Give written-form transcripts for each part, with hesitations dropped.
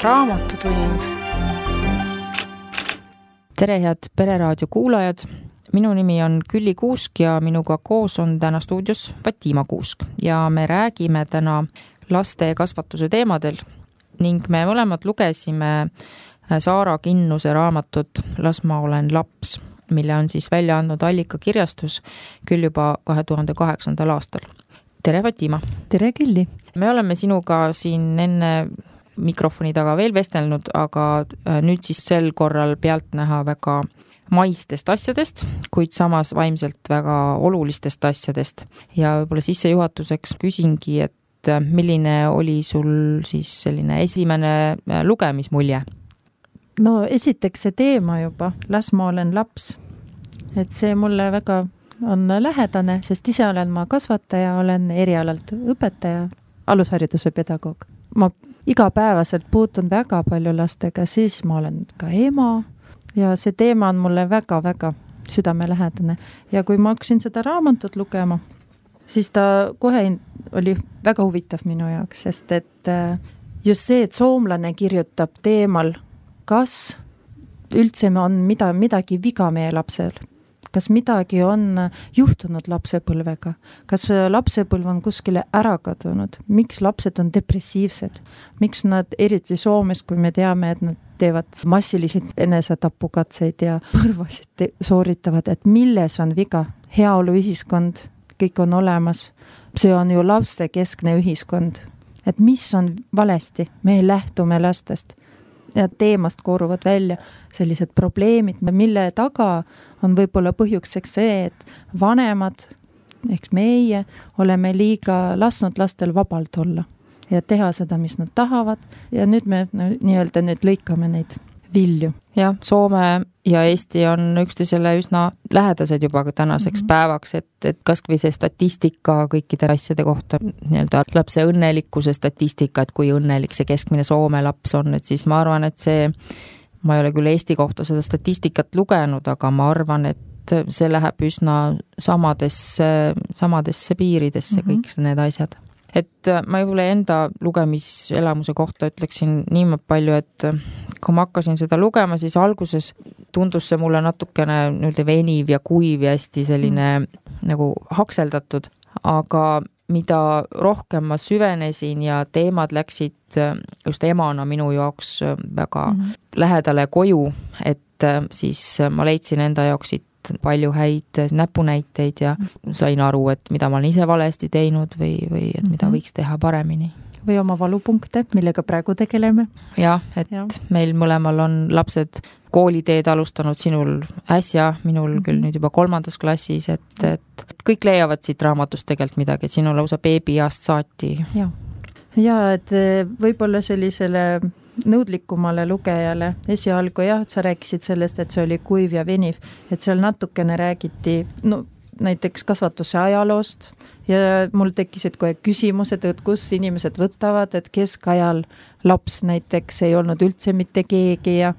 Raamatutund. Tere, head Pereraadio kuulajad! Minu nimi on Külli Kuusk ja minuga koos on täna stuudios Fatima Kuusk ja me räägime täna laste kasvatuse teemadel ning me mõlemad lugesime Saara Kinnuse raamatut Las ma olen laps, mille on siis välja andnud Allika kirjastus küll juba 2008. aastal. Tere, Fatima! Tere, Külli! Me oleme sinuga siin enne mikrofoni taga veel vestelnud, aga nüüd siis sel korral pealtnäha väga maistest asjadest, kuid samas vaimselt väga olulistest asjadest. Ja võib-olla sissejuhatuseks küsingi, et milline oli sul siis selline esimene lugemismulje? No esiteks see teema juba, Las ma olen laps. Et see mulle väga on lähedane, sest ise olen ma kasvataja, olen erialalt õpetaja, alushariduse pedagoog. Ma igapäevaselt puutun väga palju lastega, siis ma olen ka ema ja see teema on mulle väga-väga südamelähedane. Ja kui ma hakkasin seda raamatut lugema, siis ta kohe oli väga huvitav minu jaoks, sest et just see, et soomlane kirjutab teemal, kas üldse on midagi viga meie lapsel, kas midagi on juhtunud lapsepõlvega, kas lapsepõlv on kuskile ära kadunud, miks lapsed on depressiivsed, miks nad eriti Soomes, kui me teame, et nad teevad massiliselt enesetapukatseid ja põrvasid sooritavad, et milles on viga, heaolu ühiskond, kõik on olemas, see on ju laste keskne ühiskond, et mis on valesti, me lähtume lastest ja teemast kooruvad välja sellised probleemid, mille taga on võib-olla põhjuseks see, et vanemad, ehk meie, oleme liiga lasknud lastel vabalt olla ja teha seda, mis nad tahavad ja nüüd me nii-öelda lõikame neid vilju. Jah, Soome ja Eesti on üksteisele üsna lähedased juba tänaseks päevaks, et kas või see statistika kõikide asjade kohta, nii-öelda lapse õnnelikkuse statistika, et kui õnnelik see keskmine Soome laps on, et siis ma arvan, et see, ma ei ole küll Eesti kohta seda statistikat lugenud, aga ma arvan, et see läheb üsna samadesse piiridesse kõik need asjad. Et ma juba enda lugemiselamuse kohta ütleksin niimoodi palju, et kui ma hakkasin seda lugema, siis alguses tundus see mulle natukene veniv ja kuiv ja hästi selline nagu hakseldatud, aga mida rohkem ma süvenesin ja teemad läksid just emana minu jaoks väga lähedale koju, et siis ma leidsin enda jaoks palju häid näpunäiteid ja sain aru, et mida ma olen ise valesti teinud või et mida võiks teha paremini. Või oma valupunkte, millega praegu tegeleme. Jah, et meil mõlemal on lapsed kooliteed alustanud, sinul äsja, minul küll nüüd juba 3. klassis, et kõik leiavad siit raamatust tegelikult midagi, et sinul lausa beebiast saati. Ja, et võib-olla sellisele nõudlikumale lugejale esialgu sa rääkisid sellest, et see oli kuiv ja veniv, et seal natukene räägiti näiteks kasvatuse ajaloost ja mul tekkisid kohe küsimused, et kus inimesed võtavad, et keskajal laps näiteks ei olnud üldse mitte keegi ja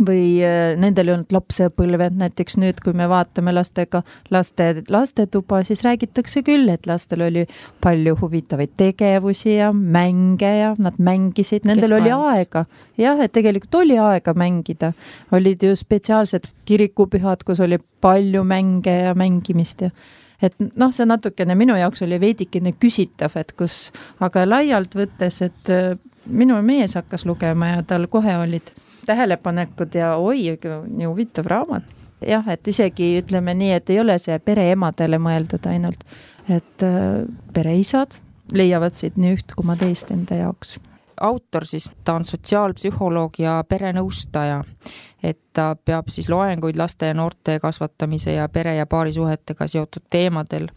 või nendel ei olnud lapsepõlved, näiteks nüüd, kui me vaatame lastetuba, siis räägitakse küll, et lastel oli palju huvitavaid tegevusi ja mänge ja nad mängisid, nendel oli aega. Jah, et tegelikult oli aega mängida. Olid ju spetsiaalsed kirikupühad, kus oli palju mänge ja mängimist ja et see natukene minu jaoks oli veidikene küsitav, et kus, aga laialt võttes, et minu mees hakkas lugema ja tal kohe olid tähelepanekud ja nii huvitav raamat. Jah, et isegi ütleme nii, et ei ole see pereemadele mõeldud ainult, et pereisad leiavad siit nii üht kui teist enda jaoks. Autor siis, ta on sotsiaalpsühholoog ja perenõustaja, et ta peab siis loenguid laste ja noorte kasvatamise ja pere- ja paarisuhetega seotud teemadel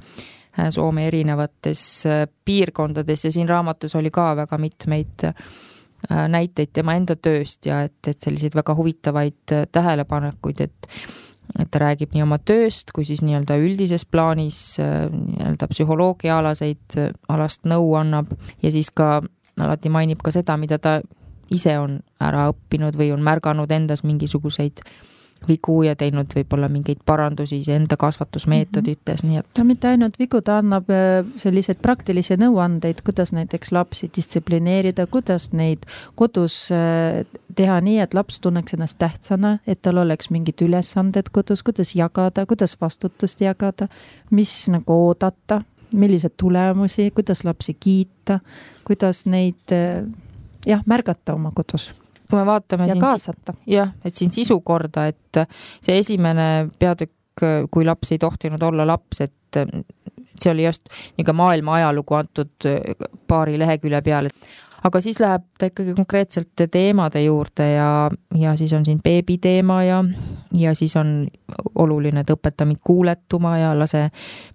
Soome erinevates piirkondades ja siin raamatus oli ka väga mitmeid näiteid tema enda tööst ja et selliseid väga huvitavaid tähelepanekuid, et ta räägib nii oma tööst kui siis nii-öelda üldises plaanis nii-öelda psühholoogiaalaseid alast nõu annab ja siis ka alati mainib ka seda, mida ta ise on ära õppinud või on märganud endas mingisuguseid vigu ja teinud võib-olla mingeid parandusi enda kasvatusmeetodites, nii et... Ta mitte ainult vigu, ta annab selliseid praktilisi nõuandeid, kuidas näiteks lapsi distsiplineerida, kuidas neid kodus teha nii, et laps tunneks ennast tähtsana, et tal oleks mingid ülesanded kodus, kuidas jagada, kuidas vastutust jagada, mis nagu oodata, millised tulemusi, kuidas lapsi kiita, kuidas neid märgata oma kodus. Kui me vaatame ja kaasata. Et siin sisu korda, et see esimene peatükk, kui laps ei tohtinud olla laps, et see oli just niisugune maailma ajalugu antud paari lehekülje peal, aga siis läheb ta ikkagi konkreetselt teemade juurde ja siis on siin beebi teema ja siis on oluline, et õpeta mind kuuletuma ja lase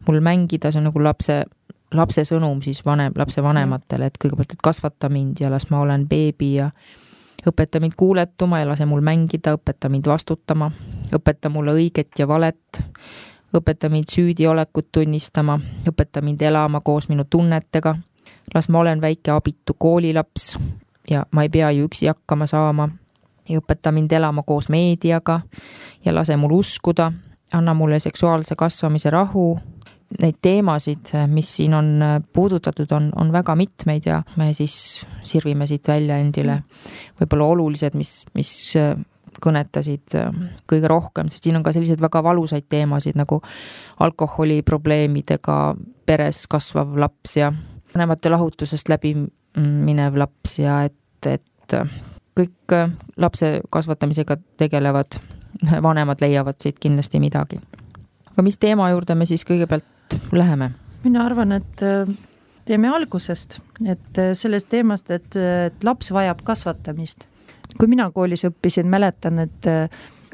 mul mängida, see on nagu lapse sõnum siis lapse vanematele, et kõigepealt, et kasvata mind ja las ma olen beebi ja õpeta mind kuuletuma ja lase mul mängida, õpeta mind vastutama, õpeta mulle õiget ja valet, õpeta mind süüdiolekut tunnistama, õpeta mind elama koos minu tunnetega, las ma olen väike abitu koolilaps ja ma ei pea ju üksi hakkama saama ja õpeta mind elama koos meediaga ja lase mul uskuda, anna mulle seksuaalse kasvamise rahu. Neid teemasid, mis siin on puudutatud, on väga mitmeid ja me siis sirvime siit välja endile võib-olla olulised, mis kõnetasid kõige rohkem, sest siin on ka sellised väga valusaid teemasid nagu alkoholiprobleemidega peres kasvav laps ja vanemate lahutusest läbi minev laps ja et kõik lapse kasvatamisega tegelevad vanemad leiavad siit kindlasti midagi. Aga mis teema juurde me siis kõigepealt läheme? Mina arvan, et teeme algusest, et sellest teemast, et laps vajab kasvatamist. Kui mina koolis õppisin, mäletan, et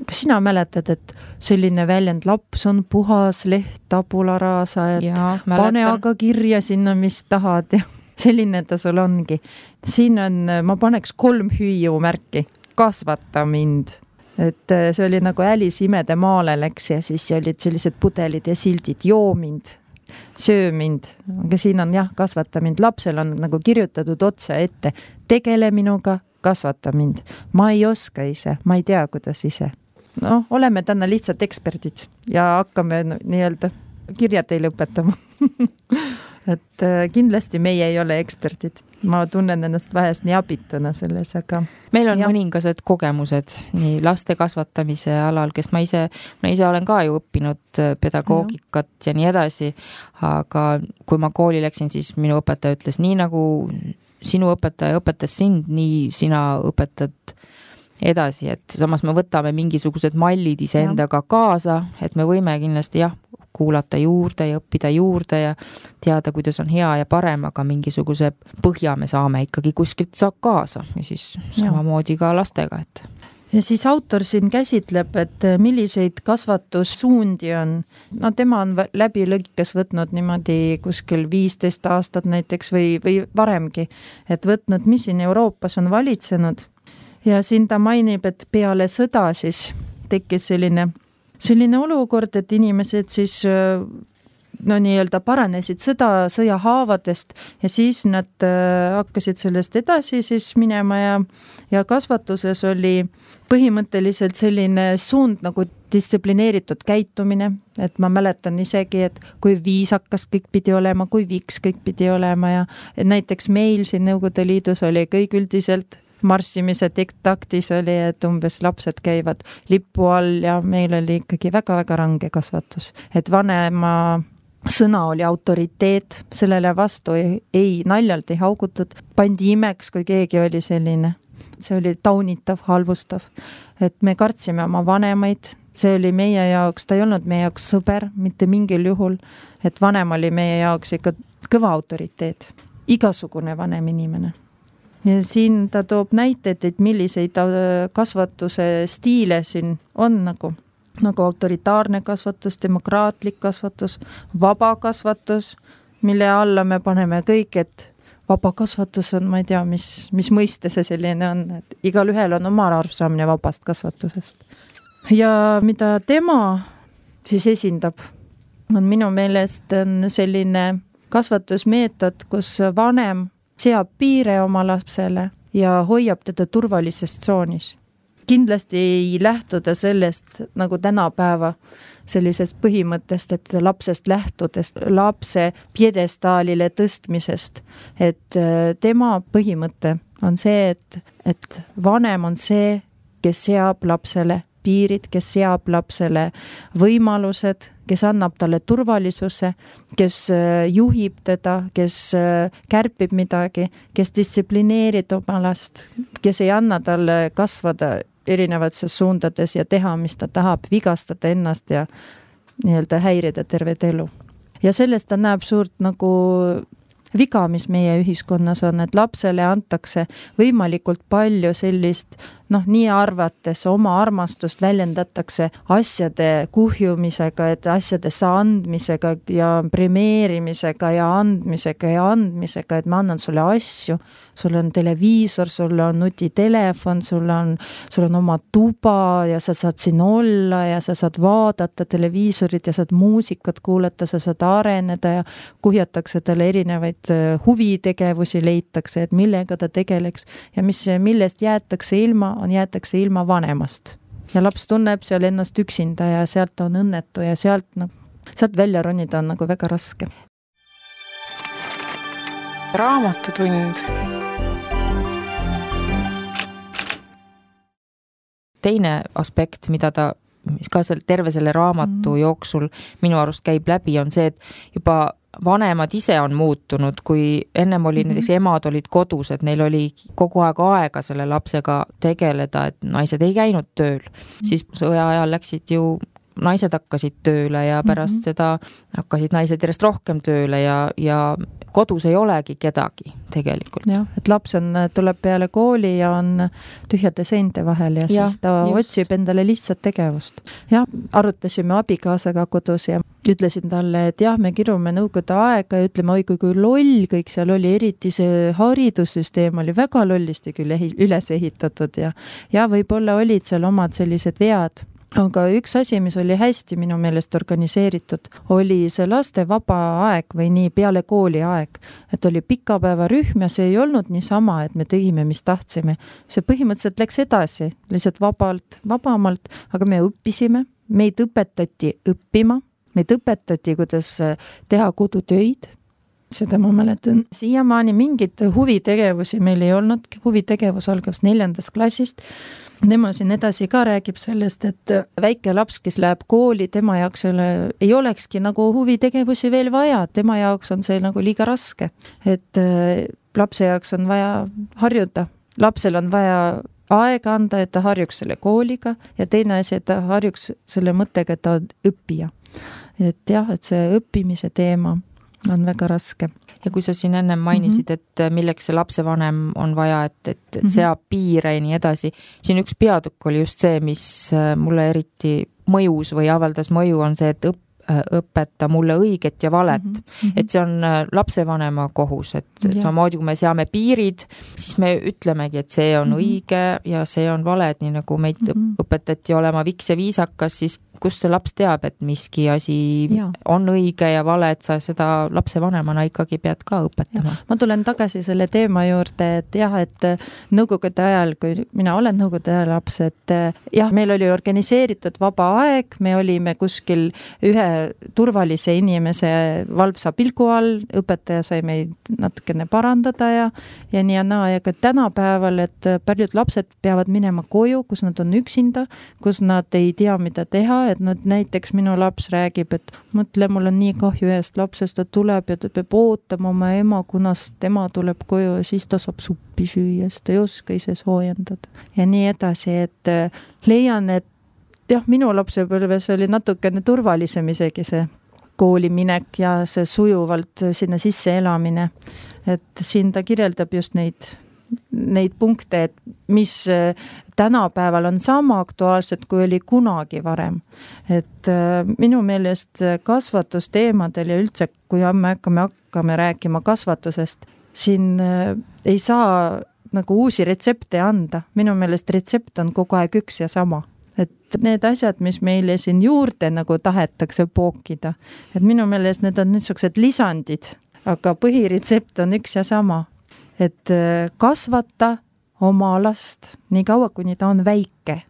kas sina mäletad, et selline väljend laps on puhas leht tabularaasa, et pane aga kirja sinna, mis tahad ja selline ta sul ongi. Siin on, ma paneks 3 hüüumärki, kasvata mind. Et see oli nagu Alice imede maale läks ja siis olid sellised pudelid ja sildid, joo mind, söö mind. Aga siin on kasvata mind. Lapsel on nagu kirjutatud otse ette, tegele minuga, kasvata mind. Ma ei oska ise, ma ei tea, kuidas ise. No, oleme täna lihtsalt eksperdid ja hakkame nii-öelda kirja teile õpetama. Et kindlasti meie ei ole eksperdid. Ma tunnen ennast vähest nii abituna selles, aga... Meil on mõningased kogemused nii laste kasvatamise alal, kes ma ise olen ka ju õppinud pedagoogikat ja nii edasi, aga kui ma kooli läksin, siis minu õpetaja ütles, nii nagu sinu õpetaja õpetas sind, nii sina õpetad edasi, et samas me võtame mingisugused mallid iseendaga kaasa, et me võime kindlasti kuulata juurde ja õppida juurde ja teada, kuidas on hea ja parem, aga mingisuguse põhja me saame ikkagi kuskilt saab kaasa ja siis samamoodi ka lastega. Et. Ja siis autor siin käsitleb, et milliseid kasvatussuundi on. No tema on läbi lõikes võtnud niimoodi kuskil 15 aastat näiteks või varemgi, et võtnud, mis siin Euroopas on valitsenud. Ja siin ta mainib, et peale sõda siis tekkis selline olukord, et inimesed siis nii-öelda paranesid sõja haavadest ja siis nad hakkasid sellest edasi siis minema ja kasvatuses oli põhimõtteliselt selline suund nagu distsiplineeritud käitumine, et ma mäletan isegi, et kui viisakas kõik pidi olema, kui viks kõik pidi olema ja näiteks meil siin Nõukogude Liidus oli kõik üldiselt marssimise taktis oli, et umbes lapsed käivad lipu all ja meil oli ikkagi väga-väga range kasvatus. Et vanema sõna oli autoriteet, sellele vastu ei naljalt ei haugutud, pandi imeks, kui keegi oli selline. See oli taunitav, halvustav. Et me kartsime oma vanemaid, see oli meie jaoks, ta ei olnud meie jaoks sõber, mitte mingil juhul, et vanem oli meie jaoks ikka kõva autoriteet, igasugune vanem inimene. Ja siin ta toob näiteid, et milliseid kasvatuse stiile siin on nagu autoritaarne kasvatus, demokraatlik kasvatus, vaba kasvatus, mille alla me paneme kõik, et vaba kasvatus on, ma ei tea, mis mõiste see selline on, et igal ühel on oma arusaamine vabast kasvatusest. Ja mida tema siis esindab, on minu meelest on selline kasvatusmeetod, kus vanem seab piire oma lapsele ja hoiab teda turvalises tsoonis. kindlasti ei lähtuda sellest nagu tänapäeva sellisest põhimõttest, et lapsest lähtudest, lapse pjedestaalile tõstmisest, et tema põhimõte on see, et vanem on see, kes seab lapsele piirid, kes seab lapsele võimalused, kes annab talle turvalisuse, kes juhib teda, kes kärpib midagi, kes distsiplineerib oma last, kes ei anna talle kasvada erinevates suundades ja teha, mis ta tahab, vigastada ennast ja nii-öelda häirida tervet elu. Ja sellest ta näeb suurt nagu viga, mis meie ühiskonnas on, et lapsele antakse võimalikult palju sellist, nii arvates oma armastust väljendatakse asjade kuhjumisega, et asjadesse andmisega ja premeerimisega ja andmisega, et ma annan sulle asju, sul on televiisor, sul on nutitelefon, sul on oma tuba ja sa saad siin olla ja sa saad vaadata televiisorit ja saad muusikat kuulata, sa saad areneda ja kuhjatakse talle erinevaid huvitegevusi leitakse, et millega ta tegeleks ja millest jäetakse ilma vanemast. Ja laps tunneb seal ennast üksinda ja sealt on õnnetu ja sealt välja ronida on nagu väga raske. Raamatutund. Teine aspekt, mida ta ka terve selle raamatu jooksul minu arust käib läbi, on see, et juba vanemad ise on muutunud, kui ennem oli näiteks emad olid kodus, et neil oli kogu aega selle lapsega tegeleda, et naised ei käinud tööl. Siis sõja ajal läksid ju naised hakkasid tööle ja pärast seda hakkasid naised järjest rohkem tööle ja kodus ei olegi kedagi tegelikult. Jah, et laps tuleb peale kooli ja on tühjade seinte vahel ja siis ta otsib endale lihtsat tegevust. Ja arutasime abikaasaga kodus ja ütlesin talle, et me kirume nõukogude aega ja ütleme, oi kui loll kõik seal oli, eriti see haridussüsteem oli väga lollisti küll üles ehitatud ja võib-olla olid seal omad sellised vead. Aga üks asi, mis oli hästi minu meelest organiseeritud, oli see laste vaba aeg või nii peale kooli aeg. Et oli pikapäevarühm ja see ei olnud niisama, et me tegime, mis tahtsime. See põhimõtteliselt läks edasi, lihtsalt vabamalt, aga me õppisime, meid õpetati õppima, meid õpetati, kuidas teha kodutöid. Seda ma mäletan. Siiamaani mingit huvitegevusi meil ei olnud. Huvitegevus algas 4. klassist. Tema siin edasi ka räägib sellest, et väike laps, kes läheb kooli, tema jaoks ei olekski nagu huvitegevusi veel vaja. Tema jaoks on see nagu liiga raske. Et lapse jaoks on vaja harjuda. Lapsel on vaja aega anda, et ta harjuks selle kooliga ja teine asi, et ta harjuks selle mõttega, et ta on õppija. Et see õppimise teema on väga raske. Ja kui sa siin ennem mainisid, et milleks see lapsevanem on vaja, et seab piire ja nii edasi, siin üks peatükk oli just see, mis mulle eriti mõjus või avaldas mõju, on see, et õpeta mulle õiget ja valet. Et see on lapsevanema kohus, et samamoodi kui me seame piirid, siis me ütlemegi, et see on õige ja see on vale, et nii nagu meid õpetati olema viks ja viisakas, siis kust see laps teab, et miski asi on õige ja vale, et sa seda lapsevanemana ikkagi pead ka õpetama. Ma tulen tagasi selle teema juurde, et nõukogude ajal, kui mina olen nõukogude ajal laps, et meil oli organiseeritud vaba aeg, me olime kuskil ühe turvalise inimese valvsa pilgu all, õpetaja sai meid natukene parandada ja nii ja naa, ja ka tänapäeval, et paljud lapsed peavad minema koju, kus nad on üksinda, kus nad ei tea, mida teha, et nad näiteks minu laps räägib, et mõtle, mul on nii kahju ühest lapsest, ta tuleb ja ta peab ootama oma ema, kunas tema tuleb koju ja siis ta saab suppi süüa, sest ta ei oska ise soojendada. Ja nii edasi, et leian, et minu lapsepõlves oli natukene turvalisem isegi see kooliminek ja see sujuvalt sinna sisse elamine. Et siin ta kirjeldab just neid punkte, et mis tänapäeval on sama aktuaalsed, kui oli kunagi varem. Et minu meelest kasvatusteemadel ja üldse, kui me hakkame rääkima kasvatusest, siin ei saa nagu uusi retsepte anda. Minu meelest retsept on kogu aeg üks ja sama. Et need asjad, mis meile siin juurde nagu tahetakse pookida, et minu meelest need on niisugused lisandid, aga põhiretsept on üks ja sama. Et kasvata oma last, nii kaua, kuni ta on väike.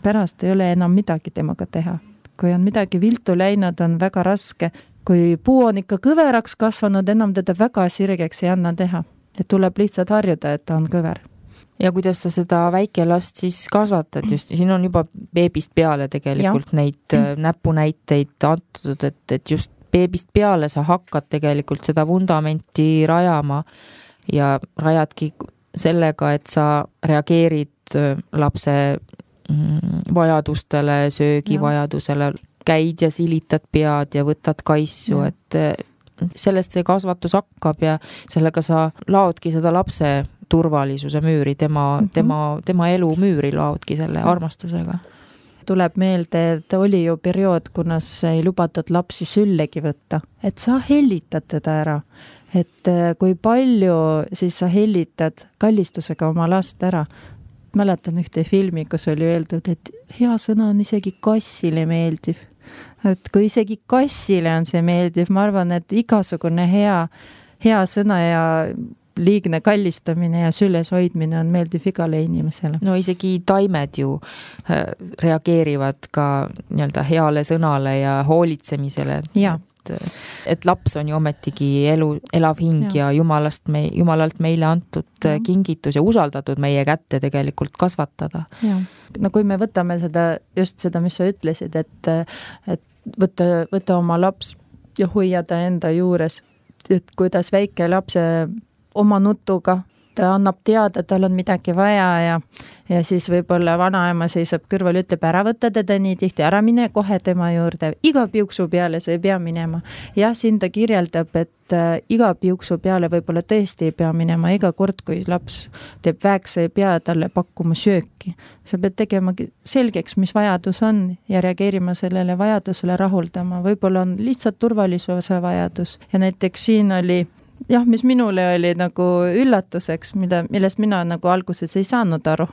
Pärast ei ole enam midagi temaga teha. Kui on midagi viltu läinud, on väga raske. Kui puu on ikka kõveraks kasvanud, enam teda väga sirgeks ei anna teha. Et tuleb lihtsalt harjuda, et ta on kõver. Ja kuidas sa seda väikelast siis kasvatad just? Siin on juba beebist peale tegelikult neid näpunäiteid antud, et just beebist peale sa hakkad tegelikult seda vundamenti rajama ja rajadki sellega, et sa reageerid lapse vajadustele, söögivajadusele, käid ja silitad pead ja võtad kaissu, et sellest see kasvatus hakkab ja sellega sa laodki seda lapse turvalisuse müüri, tema elu müüri laodki selle armastusega. Tuleb meelde, et oli ju periood, kunas ei lubatud lapsi süllegi võtta, et sa hellitad teda ära, et kui palju siis sa hellitad kallistusega oma last ära. Mäletan ühte filmi, kus oli öeldud, et hea sõna on isegi kassile meeldiv. Et kui isegi kassile on see meeldiv, ma arvan, et igasugune hea sõna ja liigne kallistamine ja süles hoidmine on meeldiv igale inimesele. No isegi taimed ju reageerivad ka nii-öelda heale sõnale ja hoolitsemisele. Et laps on ju ometigi elav hing ja jumalalt meile antud kingitus ja usaldatud meie kätte tegelikult kasvatada. No kui me võtame just seda, mis sa ütlesid, et võtta oma laps ja hoiada enda juures, et kuidas väike lapse oma nutuga, ta annab teada, et tal on midagi vaja ja siis võib-olla vanaema seisab kõrval, ütleb ära võtta teda nii tihti, ära mine kohe tema juurde, iga piuksu peale sa ei pea minema. Ja siin ta kirjeldab, et iga piuksu peale võib-olla tõesti ei pea minema, iga kord, kui laps teeb väeksa, ei pea talle pakkuma sööki. Sa pead tegema selgeks, mis vajadus on ja reageerima sellele vajadusele rahuldama. Võib-olla on lihtsalt turvalisuse vajadus ja näiteks siin oli mis minule oli nagu üllatuseks, millest mina nagu alguses ei saanud aru,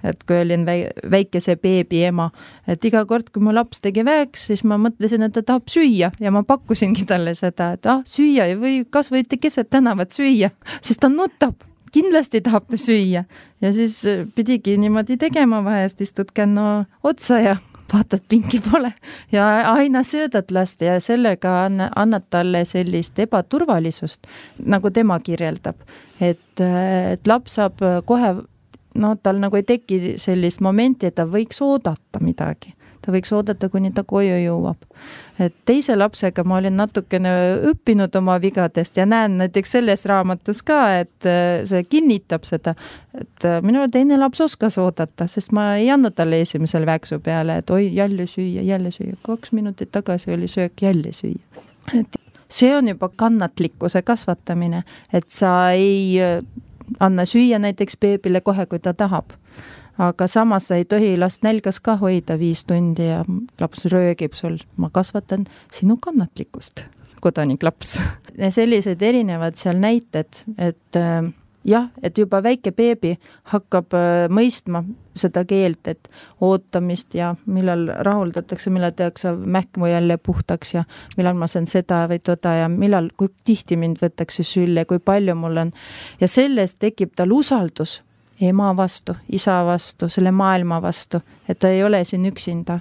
et kui olin väikese beebi ema, et iga kord, kui mu laps tegi väeks, siis ma mõtlesin, et ta tahab süüa ja ma pakkusingi talle seda, et süüa või kas võite keset tänavat süüa, siis ta nutab, kindlasti tahab ta süüa ja siis pidigi niimoodi tegema, vahest istud känno otsa ja vaatad, pinki pole ja aina söödad last ja sellega annad talle sellist ebaturvalisust, nagu tema kirjeldab, et laps saab kohe, tal nagu ei teki sellist momenti, et ta võiks oodata midagi. Ta võiks oodata, kuni ta koju jõuab. Et teise lapsega ma olin natukene õppinud oma vigadest ja näen näiteks selles raamatus ka, et see kinnitab seda, et minu teine laps oskas oodata, sest ma ei andnud talle esimesel väeksu peale, et oi, jälle süüa. 2 minutit tagasi oli söök, jälle süüa. Et see on juba kannatlikkuse kasvatamine, et sa ei anna süüa näiteks beebile kohe, kui ta tahab. Aga samas ei tohi last nälgas ka hoida 5 tundi ja laps röögib sul. Ma kasvatan sinu kannatlikkust, kodanik laps. Ja sellised erinevad seal näited, et et juba väike beebi hakkab mõistma seda keelt, et ootamist ja millal rahuldatakse, millal tehakse mähkmu jälle puhtaks ja millal ma saan seda või toda ja millal, kui tihti mind võtakse sülle, kui palju mul on. Ja sellest tekib tal usaldus ema vastu, isa vastu, selle maailma vastu, et ta ei ole siin üksinda.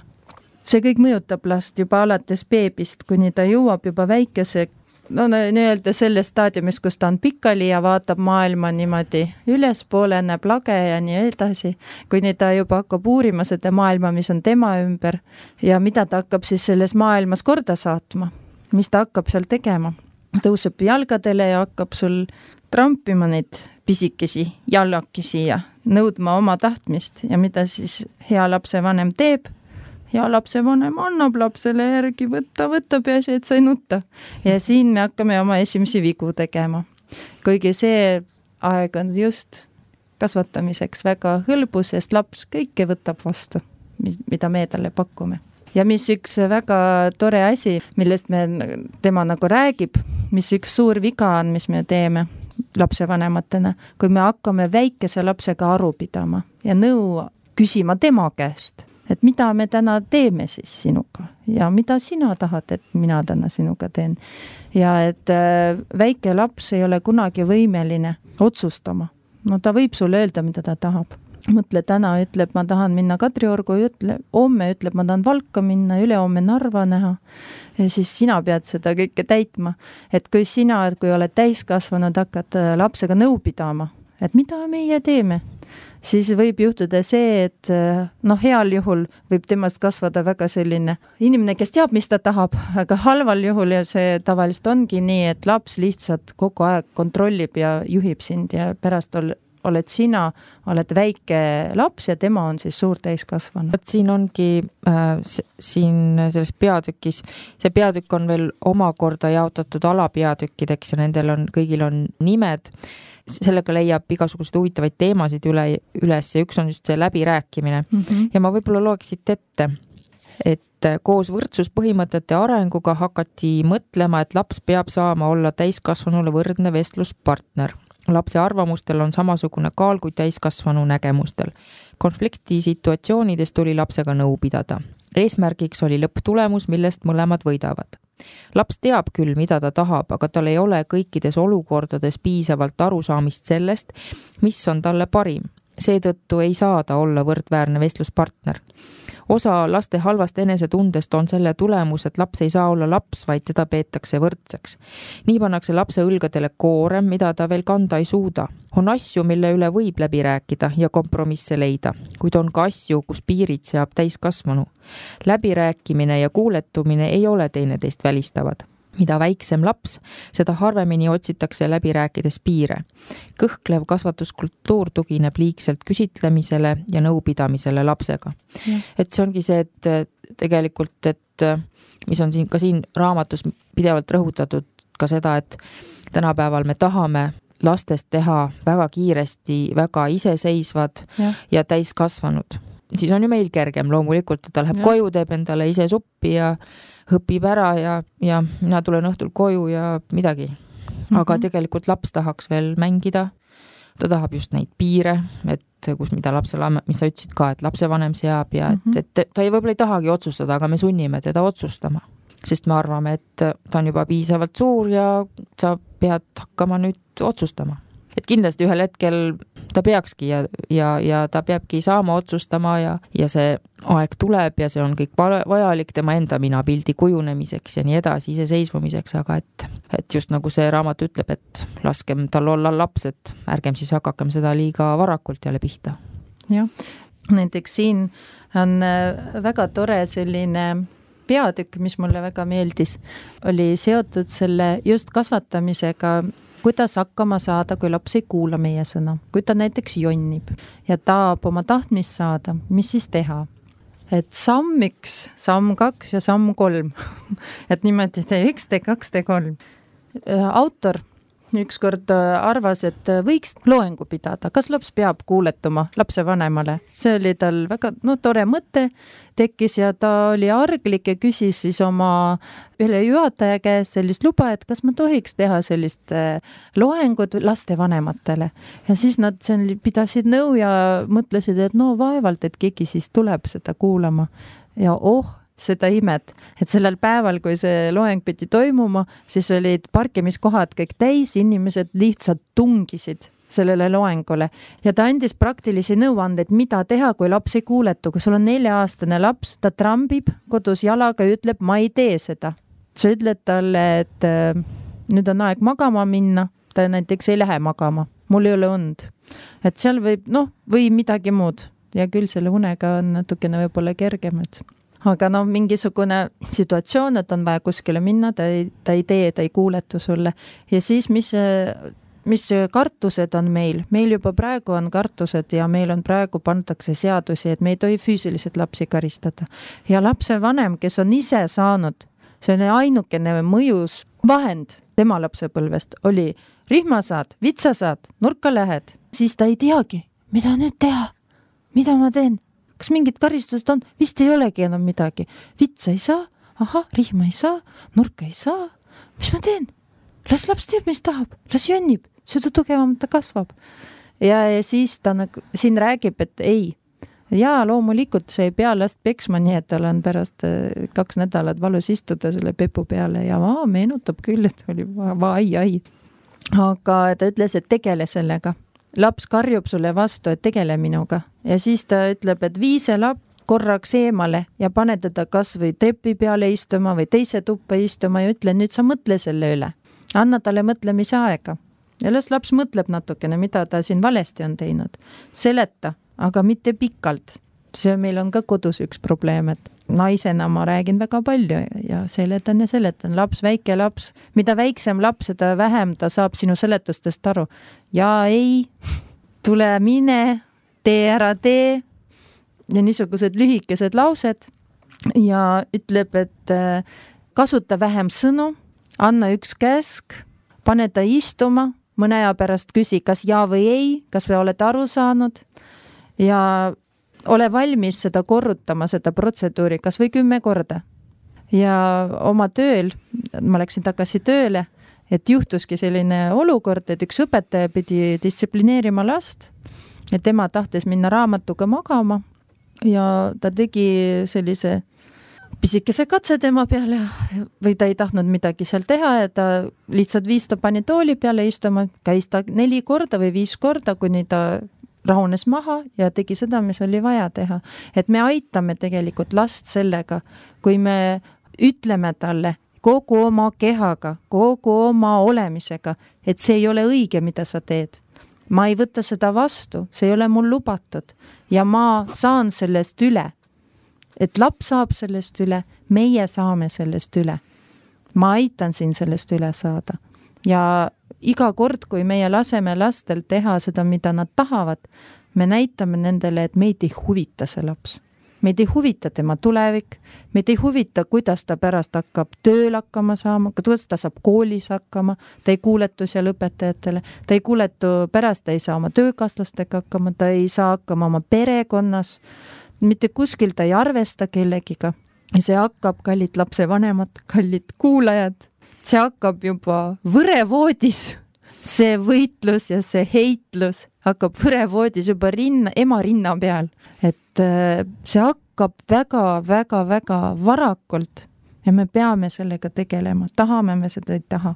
See kõik mõjutab last juba alates beebist, kuni ta jõuab juba väikese, nii-öelda selles staadiumis, kus ta on pikali ja vaatab maailma niimoodi ülespoole, näeb lage ja nii edasi, kuni ta juba hakkab uurima seda maailma, mis on tema ümber ja mida ta hakkab siis selles maailmas korda saatma, mis ta hakkab seal tegema. Tõuseb jalgadele ja hakkab sul trampima neid pisikesi jalakesi ja nõudma oma tahtmist ja mida siis hea lapsevanem teeb. Hea lapsevanem annab lapsele järgi võtta peasi, et sa ei nutta. Ja siin me hakkame oma esimesi vigu tegema. Kuigi see aeg on just kasvatamiseks väga hõlbus, sest laps kõike võtab vastu, mida me talle pakume. Ja mis üks väga tore asi, millest tema nagu räägib, mis üks suur viga on, mis me teeme lapsevanematena, kui me hakkame väikese lapsega aru pidama ja nõu küsima tema käest, et mida me täna teeme siis sinuga ja mida sina tahad, et mina täna sinuga teen. Ja et väike laps ei ole kunagi võimeline otsustama, no ta võib sulle öelda, mida ta tahab. Mõtle, täna ütleb, ma tahan minna Kadriorgu, homme ütleb, ma tahan Valka minna, ülehomme Narva näha. Ja siis sina pead seda kõike täitma. Et kui sina, kui oled täiskasvanud, hakkad lapsega nõu pidama, et mida meie teeme, siis võib juhtuda see, et heal juhul võib temast kasvada väga selline inimene, kes teab, mis ta tahab, aga halval juhul ja see tavaliselt ongi nii, et laps lihtsalt kogu aeg kontrollib ja juhib sind ja pärast oled sina, oled väike laps ja tema on siis suur täiskasvanu. Siin ongi siin selles peatükis, see peatükk on veel omakorda jaotatud alapeatükkideks ja nendel kõigil on nimed. Sellega leiab igasuguseid huvitavaid teemasid üles ja üks on just see läbirääkimine. Ja ma võib-olla loeks siit ette, et koos võrdsuspõhimõtete arenguga hakati mõtlema, et laps peab saama olla täiskasvanule võrdne vestluspartner. Lapse arvamustel on samasugune kaal kui täiskasvanu nägemustel. Konflikti situatsioonides tuli lapsega nõu pidada. Eesmärgiks oli lõpptulemus, millest mõlemad võidavad. Laps teab küll, mida ta tahab, aga tal ei ole kõikides olukordades piisavalt arusaamist sellest, mis on talle parim. Seetõttu ei saa ta olla võrdväärne vestluspartner. Osa laste halvast enesetundest on selle tulemus, et laps ei saa olla laps, vaid teda peetakse võrdseks. Nii pannakse lapse õlgadele koorem, mida ta veel kanda ei suuda. On asju, mille üle võib läbi rääkida ja kompromisse leida, kuid on ka asju, kus piirid seab täiskasvanu. Läbirääkimine ja kuuletumine ei ole teineteist välistavad. Mida väiksem laps, seda harvemini otsitakse läbi rääkides piire. Kõhklev kasvatuskultuur tugineb liigselt küsitlemisele ja nõupidamisele lapsega. Ja. Et see ongi see, et tegelikult, et mis on ka siin raamatus pidevalt rõhutatud ka seda, et tänapäeval me tahame lastest teha väga kiiresti, väga iseseisvad ja täiskasvanud. Siis on ju meil kergem loomulikult, et ta läheb koju, teeb endale ise suppi ja õpib ära ja mina tulen õhtul koju ja midagi. Aga tegelikult laps tahaks veel mängida. Ta tahab just neid piire, et mida lapsele, mis sa ütlesid ka, et lapsevanem seab ja et ta võib-olla ei tahagi otsustada, aga me sunnime teda otsustama. Sest me arvame, et ta on juba piisavalt suur ja sa pead hakkama nüüd otsustama. Et kindlasti ühel hetkel ta peakski ja ta peabki saama otsustama ja see aeg tuleb ja see on kõik vajalik tema enda minapildi kujunemiseks ja nii edasi, iseseisvumiseks, aga et just nagu see raamat ütleb, et laskem tal olla laps, et ärgem siis hakakem seda liiga varakult jälle pihta. Jah, näiteks siin on väga tore selline peatükk, mis mulle väga meeldis, oli seotud selle just kasvatamisega, kuidas hakkama saada, kui laps ei kuula meie sõna, kui ta näiteks jonnib ja tahab oma tahtmist saada, mis siis teha? Et samm 1, samm 2 ja samm 3. Et niimoodi tee 1, tee 2, tee 3. Autor ükskord arvas, et võiks loengu pidada, kas laps peab kuuletuma lapse vanemale. See oli tal väga tore mõte tekkis ja ta oli arglik ja küsis siis oma üle juhataja käes sellist luba, et kas ma tohiks teha sellist loengut laste vanematele. Ja siis nad pidasid nõu ja mõtlesid, et vaevalt, et keegi siis tuleb seda kuulama. Ja seda imet, et sellel päeval, kui see loeng pidi toimuma, siis olid parkimiskohad kõik täis, inimesed lihtsalt tungisid sellele loengule ja ta andis praktilisi nõuandeid, mida teha, kui laps ei kuuletu. Kui sul on 4-aastane laps, ta trambib kodus jalaga ja ütleb, ma ei tee seda. Sa ütled talle, et nüüd on aeg magama minna, ta näiteks ei lähe magama, mul ei ole und. Et seal võib, või midagi muud ja küll selle unega on natukene võib-olla kergem, aga mingisugune situatsioon, et on vaja kuskile minna, ta ei tee, ta ei kuuletu sulle. Ja siis, mis kartused on meil? Meil juba praegu on kartused ja meil on praegu pandakse seadusi, et me ei tohi füüsiliselt lapsi karistada. Ja lapse vanem, kes on ise saanud, see on ainukene mõjus vahend tema lapsepõlvest, oli rihmasaad, vitsasaad, nurka lähed. Siis ta ei teagi, mida nüüd teha, mida ma teen. Kas mingid karistused on? Vist ei olegi enam midagi. Vitsa ei saa, rihma ei saa, nurka ei saa. Mis ma teen? Las laps teeb, mis tahab. Las jonnib, seda tugevamalt ta kasvab. Ja siis ta siin räägib, et ei. Ja loomulikult see ei pea last peksma, nii et tal on pärast 2 nädalat valus istuda selle pepu peale ja meenutab küll, et oli ai. Aga ta ütles, et tegele sellega. laps karjub sulle vastu, et tegele minuga ja siis ta ütleb, et vii see laps korraks eemale ja pane teda kas või trepi peale istuma või teise tuppa istuma ja ütle, nüüd sa mõtle selle üle. Anna talle mõtlemise aega. Ja las laps mõtleb natukene, mida ta siin valesti on teinud. Seleta, aga mitte pikalt. See meil on ka kodus üks probleem, et naisena ma räägin väga palju ja seletan. Laps, väike laps, mida väiksem laps, seda vähem ta saab sinu seletustest aru. Ja ei, tule mine, tee ära tee ja niisugused lühikesed laused ja ütleb, et kasuta vähem sõnu, anna üks käsk, pane ta istuma, mõne aja pärast küsi, kas ja või ei, kas või oled aru saanud ja ole valmis seda korrutama, seda protseduuri, kas või 10 korda. Ja oma tööl, ma läksin tagasi tööle, et juhtuski selline olukord, et üks õpetaja pidi distsiplineerima last ja tema tahtis minna raamatuga magama ja ta tegi sellise pisikese katse tema peale või ta ei tahtnud midagi seal teha ja ta lihtsalt viis ta pani tooli peale istuma, käis ta 4 korda või 5 korda, kuni ta rahunes maha ja tegi seda, mis oli vaja teha. Et me aitame tegelikult last sellega, kui me ütleme talle kogu oma kehaga, kogu oma olemisega, et see ei ole õige, mida sa teed. Ma ei võta seda vastu, see ei ole mul lubatud ja ma saan sellest üle. Et laps saab sellest üle, meie saame sellest üle. Ma aitan siin sellest üle saada. Ja iga kord, kui meie laseme lastel teha seda, mida nad tahavad, me näitame nendele, et meid ei huvita see laps. Meid ei huvita tema tulevik, meid ei huvita, kuidas ta pärast hakkab tööl hakkama saama, kuidas ta saab koolis hakkama, ta ei kuuletu seal õpetajatele, ta ei kuuletu, pärast ta ei saa oma töökaaslastega hakkama, ta ei saa hakkama oma perekonnas, mitte kuskil ta ei arvesta kellegiga. Ja see hakkab, kallid lapsevanemad, kallid kuulajad, see hakkab juba võrevoodis. See võitlus ja see heitlus hakkab võrevoodis juba ema rinna peal. Et see hakkab väga varakult ja me peame sellega tegelema. Tahame me seda ei taha.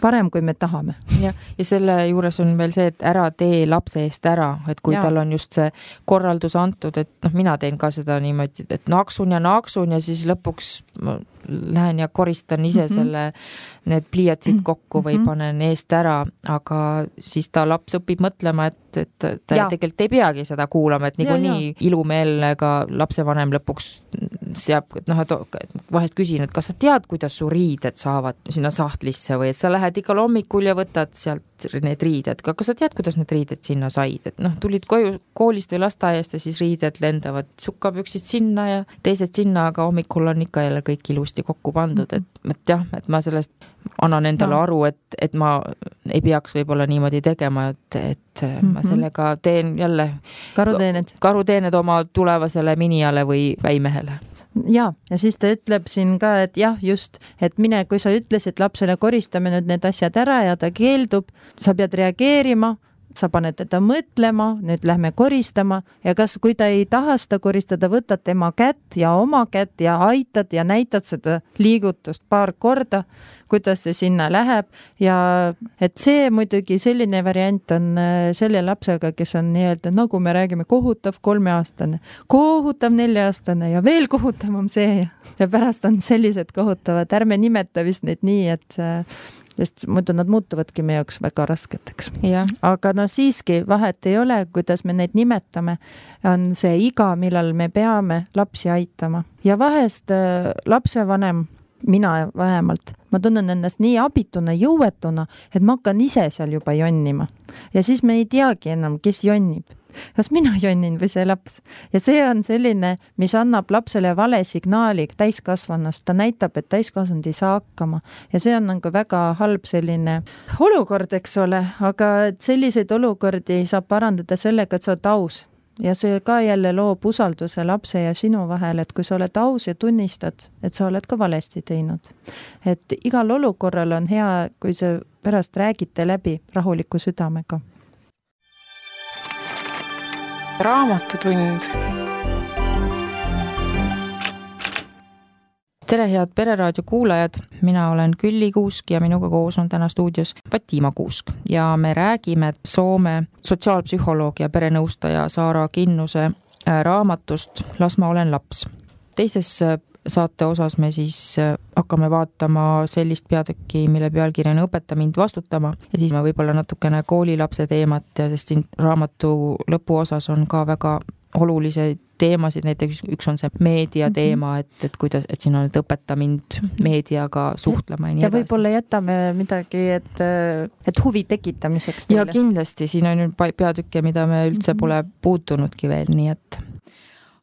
Parem, kui me tahame. Ja selle juures on veel see, et ära tee lapse eest ära, et kui tal on just see korraldus antud, et mina teen ka seda niimoodi, et naaksun ja siis lõpuks lähen ja koristan ise need pliiatsid kokku või panen eest ära, aga siis ta laps õpib mõtlema, et ta tegelikult ei peagi seda kuulama, et niikuinii ilumeelne ka lapsevanem lõpuks seab, vahest küsin, et kas sa tead, kuidas su riided saavad sinna sahtlisse või et sa lähed igal hommikul ja võtad sealt need riided, aga kas sa tead, kuidas need riided sinna said, et tulid koju koolist või lasteaiast ja siis riided lendavad, sukkapüksid sinna ja teised sinna, aga hommikul on ikka jälle kõik ilusti kokku pandud, et ma sellest annan endale aru, et ma ei peaks võib-olla niimoodi tegema, et ma sellega teen jälle karuteened oma tulevasele minijale või väimehele. Ja siis ta ütleb siin ka, et just, et mine, kui sa ütlesid lapsele koristame nüüd need asjad ära ja ta keeldub, sa pead reageerima, sa paned teda mõtlema, nüüd lähme koristama ja kui ta ei taha seda koristada, võtad tema kätt ja oma kätt ja aitad ja näitad seda liigutust 2 korda, kuidas see sinna läheb ja et see muidugi selline variant on selle lapsega, kes on nii-öelda, nagu me räägime, kohutav 3-aastane, kohutav 4-aastane ja veel kohutavam see ja pärast on sellised kohutavad, ärme nimeta vist neid nii, et sest muidu nad muutuvadki meie jaoks väga rasketeks. Aga siiski vahet ei ole, kuidas me neid nimetame, on see iga, millal me peame lapsi aitama. Ja vahest lapsevanem, mina vähemalt, ma tunnen ennast nii abituna, jõuetuna, et ma hakkan ise seal juba jonnima. Ja siis me ei teagi enam, kes jonnib. Kas mina jonnin või see laps? Ja see on selline, mis annab lapsele vale signaali täiskasvanust. Ta näitab, et täiskasvanud ei saa hakkama. Ja see on nagu väga halb selline olukord, eks ole. Aga selliseid olukordi saab parandada sellega, et sa oled aus. Ja see ka jälle loob usalduse lapse ja sinu vahel, et kui sa oled aus ja tunnistad, et sa oled ka valesti teinud. Et igal olukorral on hea, kui sa pärast räägite läbi rahuliku südamega. Raamatutund. Tere, head Pereraadio kuulajad, mina olen Külli Kuusk ja minuga koos on täna stuudios Fatiima Kuusk ja me räägime Soome sotsiaalpsühholoog ja perenõustaja Saara Kinnuse raamatust Las ma olen laps. Teises saate osas me siis hakkame vaatama sellist peatükki, mille pealkiri on Õpeta mind vastutama ja siis me võib-olla natukene koolilapse teemat ja sest siin raamatu lõpuosas on ka väga olulisi teemasid, näiteks üks on see meedia teema, et kuidas, et siin on, et õpeta mind meediaga suhtlema ja nii edasi. Ja võib-olla jätame midagi, et huvi tekitamiseks. Ja kindlasti, siin on peatükke, mida me üldse pole puutunudki veel, nii et.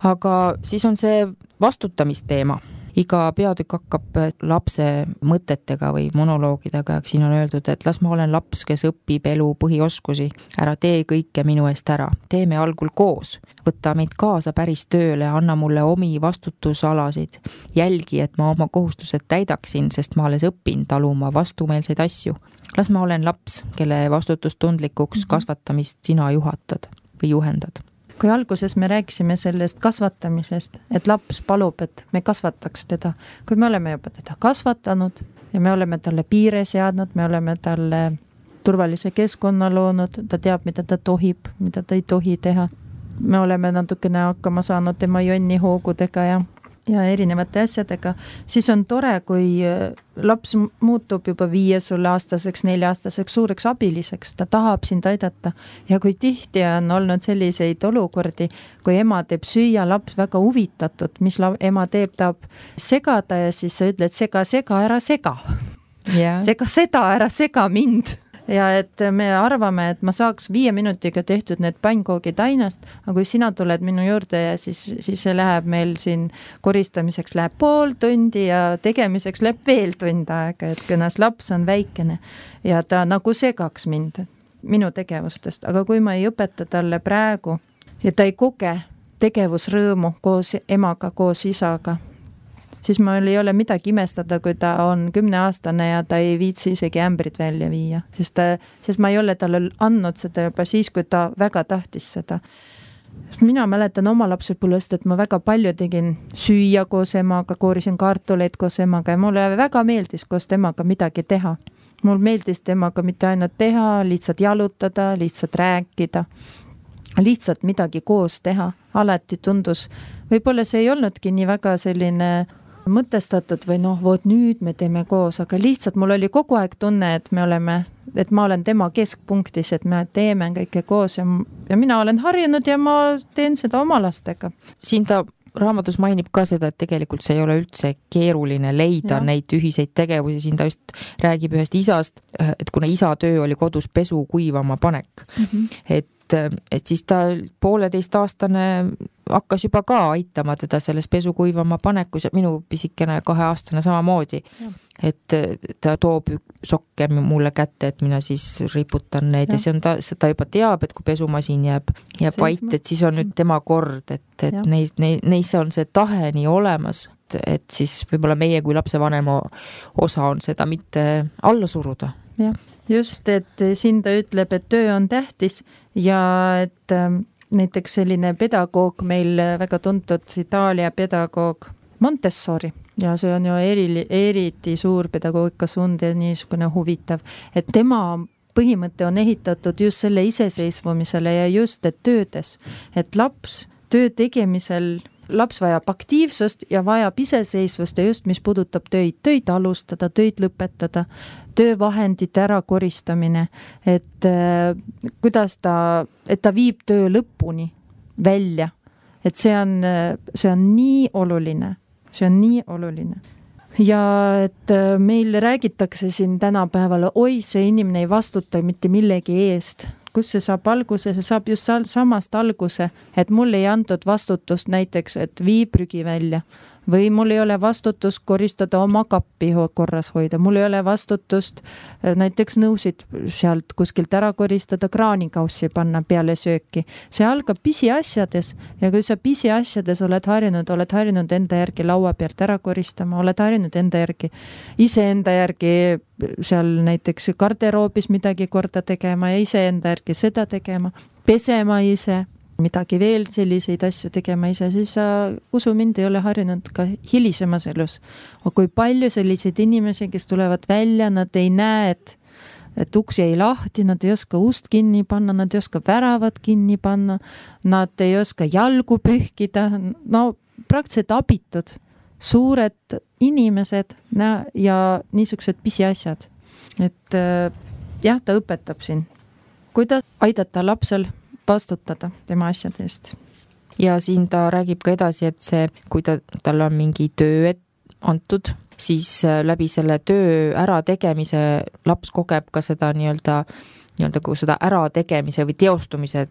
Aga siis on see vastutamisteema. Iga peatükk hakkab lapse mõtetega või monoloogidega, siin on öeldud, et las ma olen laps, kes õpib elu põhioskusi, ära tee kõike minu eest ära, teeme algul koos, võtta meid kaasa päris tööle, anna mulle omi vastutusalasid, jälgi, et ma oma kohustused täidaksin, sest ma alles õpin taluma vastumeelseid asju. Las ma olen laps, kelle vastutustundlikuks kasvatamist sina juhatad või juhendad. Kui alguses me rääkisime sellest kasvatamisest, et laps palub, et me kasvataks teda, kui me oleme juba teda kasvatanud ja me oleme talle piire seadnud, me oleme talle turvalise keskkonna loonud, ta teab, mida ta tohib, mida ta ei tohi teha. Me oleme natukene hakkama saanud tema jonni hoogudega ja erinevate asjadega, siis on tore, kui laps muutub juba 5-aastaseks, 4-aastaseks suureks abiliseks, ta tahab sind aidata ja kui tihti on olnud selliseid olukordi, kui ema teeb süüa, laps väga huvitatud, mis ema teeb, tahab segada ja siis sa ütled sega, ära sega. Sega seda, ära sega mind. Ja et me arvame, et ma saaks 5 minutiga tehtud need pannkoogid ainast, aga kui sina tuled minu juurde ja siis see läheb meil siin koristamiseks läheb pool tundi ja tegemiseks läheb veel tund aega, et kõnas laps on väikene ja ta nagu segaks mind minu tegevustest, aga kui ma ei õpeta talle praegu ja ta ei koge tegevusrõõmu koos emaga, koos isaga, siis meil ei ole midagi imestada, kui ta on 10-aastane ja ta ei viitsi isegi ämbrit välja viia, sest ma ei ole talle andnud seda juba siis, kui ta väga tahtis seda. Sest mina mäletan oma lapsepõlvest, et ma väga palju tegin süüa koos emaga, koorisin kartuleid koos emaga ja mulle väga meeldis koos temaga midagi teha. Mul meeldis temaga mitte ainult teha, lihtsalt jalutada, lihtsalt rääkida, lihtsalt midagi koos teha. Alati tundus, võib-olla see ei olnudki nii väga selline mõtestatud või voot nüüd me teeme koos, aga lihtsalt mul oli kogu aeg tunne, et et ma olen tema keskpunktis, et me teeme kõike koos ja mina olen harjunud ja ma teen seda oma lastega. Siin ta raamatus mainib ka seda, et tegelikult see ei ole üldse keeruline leida neid ühiseid tegevusi, siin ta just räägib ühest isast, et kuna isa töö oli kodus pesu kuivama panek, et siis ta 1,5-aastane hakkas juba ka aitama teda selles pesu kuivama panekus ja minu pisikene 2-aastane samamoodi, et ta toob sokke mulle kätte, et mina siis riputan neid ja see on ta juba teab, et kui pesumasin jääb vait, et siis on nüüd tema kord, et neis on see tahe nii olemas, et siis võib-olla meie kui lapsevanema osa on seda mitte alla suruda. Jah. Just, et siin ta ütleb, et töö on tähtis ja et näiteks selline pedagoog meil väga tuntud Itaalia pedagoog Montessori ja see on ju eriti suur pedagoogikasund ja niisugune huvitav, et tema põhimõte on ehitatud just selle iseseisvumisele ja just, et töödes, et laps töö tegemisel laps vajab aktiivsust ja vajab iseseisvust ja just mis puudutab töid alustada, töid lõpetada, töövahendite ära koristamine, et kuidas et ta viib töö lõpuni välja, et see on nii oluline, ja et meil räägitakse siin tänapäeval, see inimene ei vastuta mitte millegi eest, kus see saab alguse, see saab just samast alguse, et mul ei antud vastutust näiteks, et vii prügi välja või mul ei ole vastutust koristada oma kappi korras hoida, mul ei ole vastutust näiteks nõusid sealt kuskilt ära koristada, kraanikaussi panna peale sööki. See algab pisiasjades ja kui sa pisiasjades oled harjunud enda järgi laua pealt ära koristama, oled harjunud iseenda järgi seal näiteks garderoobis midagi korda tegema ja iseenda järgi seda tegema, pesema ise, midagi veel selliseid asju tegema ise, siis sa usu mind ei ole harjunud ka hilisemas elus. Aga kui palju selliseid inimesi, kes tulevad välja, nad ei näe, et uksi ei lahti, nad ei oska ust kinni panna, nad ei oska väravad kinni panna, nad ei oska jalgu pühkida, no praktiliselt abitud, suured inimesed ja niisugused pisiasjad. Et jah, ta õpetab siin, kuidas aidata lapsel vastutada tema asjade eest. Ja siin ta räägib ka edasi, et see, kui tal on mingi töö antud, siis läbi selle töö ärategemise laps kogeb ka seda nii-öelda kui seda ärategemise või teostumise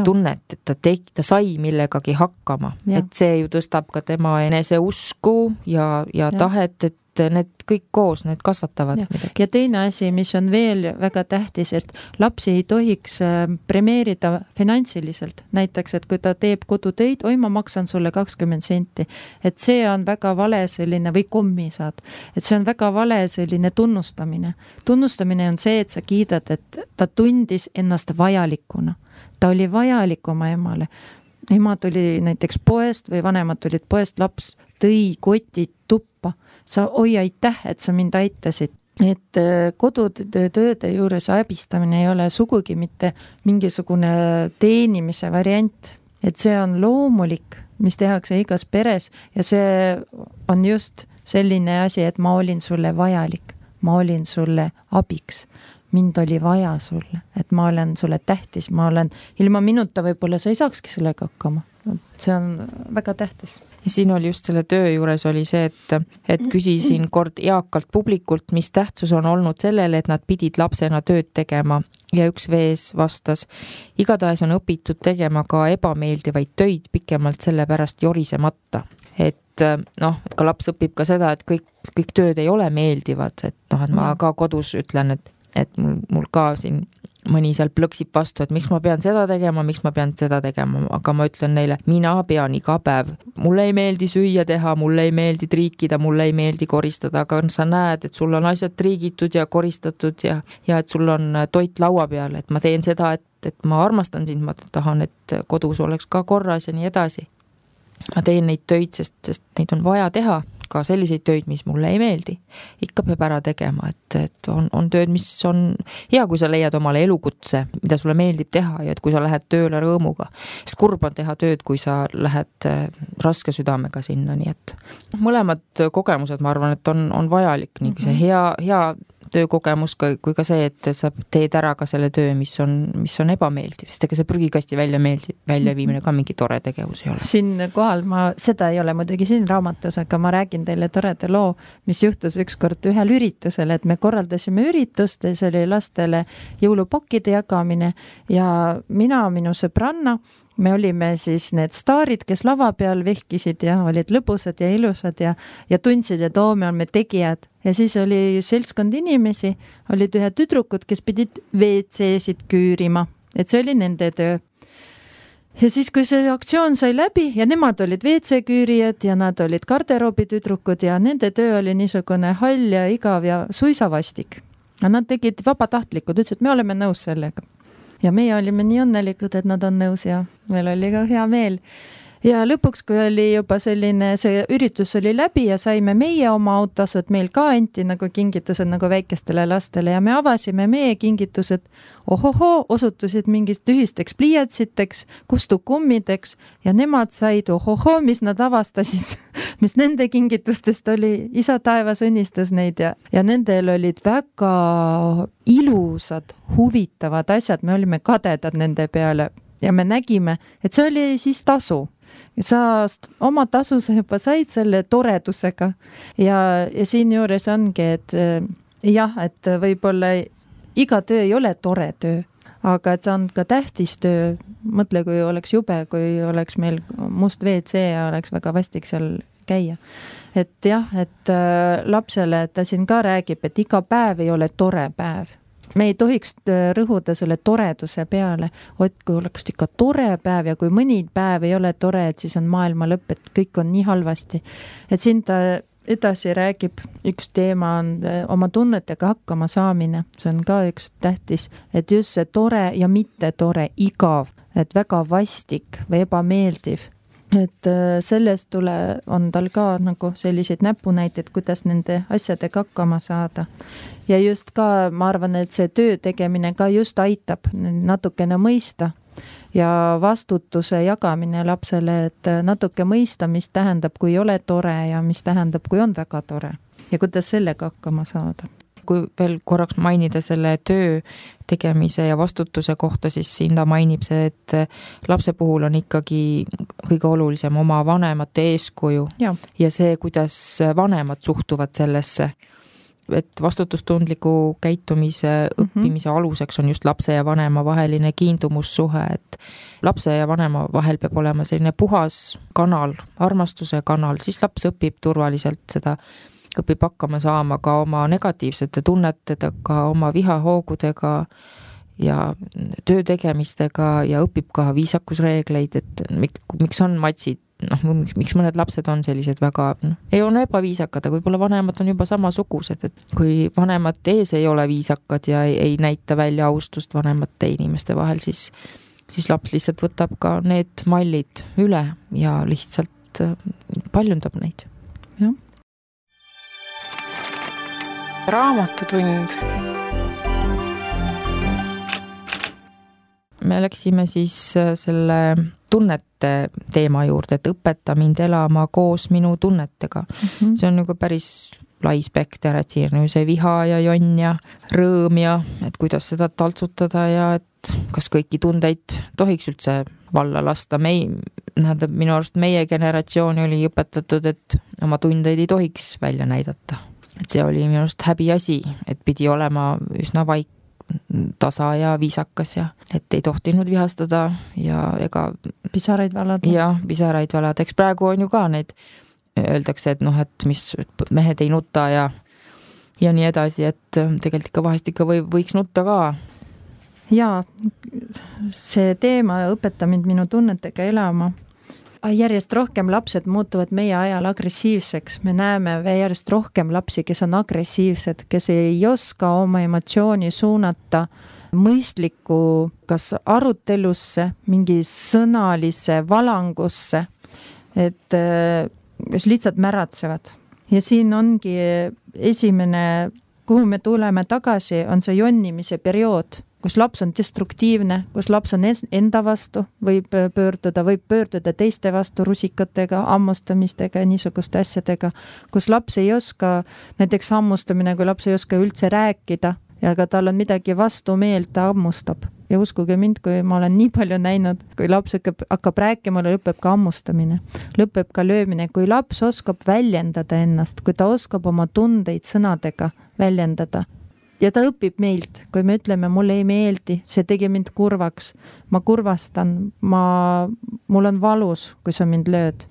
tunnet, et ta sai millegagi hakkama. Et see ju tõstab ka tema enese usku ja tahet, et need kõik koos, need kasvatavad midagi. Ja teine asi, mis on veel väga tähtis, et lapsi ei tohiks premeerida finantsiliselt. Näiteks, et kui ta teeb kodutöid, ma maksan sulle 20 senti. Et see on väga vale selline, või kommi saad. Et see on väga vale selline tunnustamine. Tunnustamine on see, et sa kiidad, et ta tundis ennast vajalikuna. Ta oli vajalik oma emale. Ema tuli näiteks poest või vanemad tulid poest, laps tõi kotid tuppa. Sa aitäh, et sa mind aitasid. Et kodutööde juures abistamine ei ole sugugi mitte mingisugune teenimise variant. Et see on loomulik, mis tehakse igas peres ja see on just selline asi, et ma olin sulle vajalik, ma olin sulle abiks. Mind oli vaja sulle, et ma olen sulle tähtis, ilma minuta võib-olla sa ei saakski sellega hakkama. See on väga tähtis. Ja siin oli just selle töö juures oli see, et küsisin kord eakalt publikult, mis tähtsus on olnud sellele, et nad pidid lapsena tööd tegema ja üks vees vastas, igatahes on õpitud tegema ka ebameeldivaid töid pikemalt selle pärast jorisemata. Et ka laps õpib ka seda, et kõik tööd ei ole meeldivad, et ma ka kodus ütlen, et mul ka siin mõni seal plõksib vastu, et miks ma pean seda tegema, aga ma ütlen neile, mina pean iga päev. Mulle ei meeldi süüa teha, mulle ei meeldi triikida, mulle ei meeldi koristada, aga sa näed, et sul on asjad triigitud ja koristatud ja et sul on toit laua peal, et ma teen seda, et ma armastan sind, ma tahan, et kodus oleks ka korras ja nii edasi. Ma teen neid töid, sest neid on vaja teha. Ka selliseid töid, mis mulle ei meeldi. Ikka peab ära tegema, et on tööd, mis on hea, kui sa leiad omale elukutse, mida sulle meeldib teha ja et kui sa lähed tööle rõõmuga. Sest kurb on teha tööd, kui sa lähed raske südamega sinna, nii et mõlemad kogemused, ma arvan, et on vajalik, nii see hea töökogemus kui ka see, et sa teed ära ka selle töö, mis on ebameeldiv, sest ega see prügikasti väljaviimine ka mingi tore tegevus ei ole. Siin kohal seda ei ole muidugi siin raamatus, aga ma räägin teile toreda loo, mis juhtus ükskord ühel üritusel, et me korraldasime üritust ja see oli lastele jõulupakkide jagamine ja minu sõbranna, me olime siis need staarid, kes lava peal vehkisid ja olid lõbusad ja ilusad ja tundsid, et me oleme tegijad. Ja siis oli seltskond inimesi, olid ühe tüdrukud, kes pidid WC-sid küürima, et see oli nende töö. Ja siis, kui see aktsioon sai läbi ja nemad olid WC-küürijad ja nad olid garderoobi tüdrukud ja nende töö oli niisugune hall ja igav ja suisavastik. Ja nad tegid vabatahtlikud, ütlesid, me oleme nõus sellega. Ja meie olime nii õnnelikud, et nad on nõus ja meil oli ka hea meel. Ja lõpuks, kui oli juba selline, see üritus oli läbi ja saime meie oma autasu, et meil ka anti nagu kingitused nagu väikestele lastele ja me avasime meie kingitused, osutusid mingist ühisteks pliiatsiteks, kustukummideks ja nemad said, mis nad avastasid, mis nende kingitustest oli, isa taevas õnnistas neid ja nendel olid väga ilusad, huvitavad asjad, me olime kadedad nende peale ja me nägime, et see oli siis tasu. Ja sa oma tasu sa juba said selle toredusega ja siin juures ongi, et et võib-olla iga töö ei ole tore töö, aga et see on ka tähtis töö. Mõtle, kui oleks jube, kui oleks meil must WC ja oleks väga vastik seal käia. Et et lapsele ta siin ka räägib, et iga päev ei ole tore päev. Me ei tohiks rõhuda selle toreduse peale, kui oleks ikka tore päev ja kui mõni päev ei ole tore, et siis on maailma lõpp, et kõik on nii halvasti. Et siin ta edasi räägib, üks teema on oma tunnetega hakkama saamine. See on ka üks tähtis, et just see tore ja mitte tore, igav et väga vastik või ebameeldiv. Et sellest on tal ka nagu selliseid näpunäiteid, kuidas nende asjadega hakkama saada. Ja just ka, ma arvan, et see töö tegemine ka just aitab natukene mõista ja vastutuse jagamine lapsele, et natuke mõista, mis tähendab, kui ei ole tore ja mis tähendab, kui on väga tore ja kuidas sellega hakkama saada. Kui veel korraks mainida selle töö tegemise ja vastutuse kohta, siis siin ta mainib see, et lapse puhul on ikkagi kõige olulisem oma vanemate eeskuju ja see, kuidas vanemad suhtuvad sellesse. Et vastutustundliku käitumise õppimise aluseks on just lapse ja vanema vaheline kiindumussuhe, et lapse ja vanema vahel peab olema selline puhas kanal, armastuse kanal, siis laps õpib turvaliselt seda, õpib hakkama saama ka oma negatiivsete tunnetega, oma vihahoogudega ja töö tegemistega ja õpib ka viisakusreegleid, et miks on matsid, miks mõned lapsed on sellised väga, ei ole ebaviisakad, aga võib-olla vanemad on juba samasugused, et kui vanemad ees ei ole viisakad ja ei näita välja austust vanemate inimeste vahel, siis laps lihtsalt võtab ka need mallid üle ja lihtsalt paljundab neid. Jah. Raamatutund. Me läksime siis selle tunnete teema juurde, et õpeta mind elama koos minu tunnetega. See on nagu päris lai spekter, et siin on see viha ja jonn ja rõõm ja et kuidas seda taltsutada ja et kas kõiki tundeid tohiks üldse valla lasta. Minu arust meie generatsioon oli õpetatud, et oma tundeid ei tohiks välja näidata. Et see oli minu arust häbi asi, et pidi olema üsna vaik, tasa ja viisakas ja et ei tohtinud vihastada ja ega pisaraid valada. Ja pisaraid valada. Eks praegu on ju ka need, öeldakse, et et mis mehed ei nuta ja nii edasi, et tegelikult ikka vahest ikka võiks nutta ka. Ja see teema õpeta mind minu tunnetega elama. Järjest rohkem lapsed muutuvad meie ajal agressiivseks. Me näeme järjest rohkem lapsi, kes on agressiivsed, kes ei oska oma emotsiooni suunata mõistliku kas arutelusse, mingi sõnalise valangusse, et kes lihtsalt märatsevad. Ja siin ongi esimene, kuhu me tuleme tagasi, on see jonnimise periood, kus laps on destruktiivne, kus laps on enda vastu, võib pöörduda teiste vastu rusikatega, ammustamistega ja niisuguste asjadega, kus laps ei oska, näiteks ammustamine, kui laps ei oska üldse rääkida ja ka tal on midagi vastu meelt, ta ammustab. Ja uskuge mind, kui ma olen nii palju näinud, kui laps hakkab rääkima, lõpeb ka ammustamine, lõpeb ka löömine, kui laps oskab väljendada ennast, kui ta oskab oma tundeid sõnadega väljendada. Ja ta õpib meilt, kui me ütleme, mulle ei meeldi, see tegi mind kurvaks, ma kurvastan, mul on valus, kui sa mind lööd.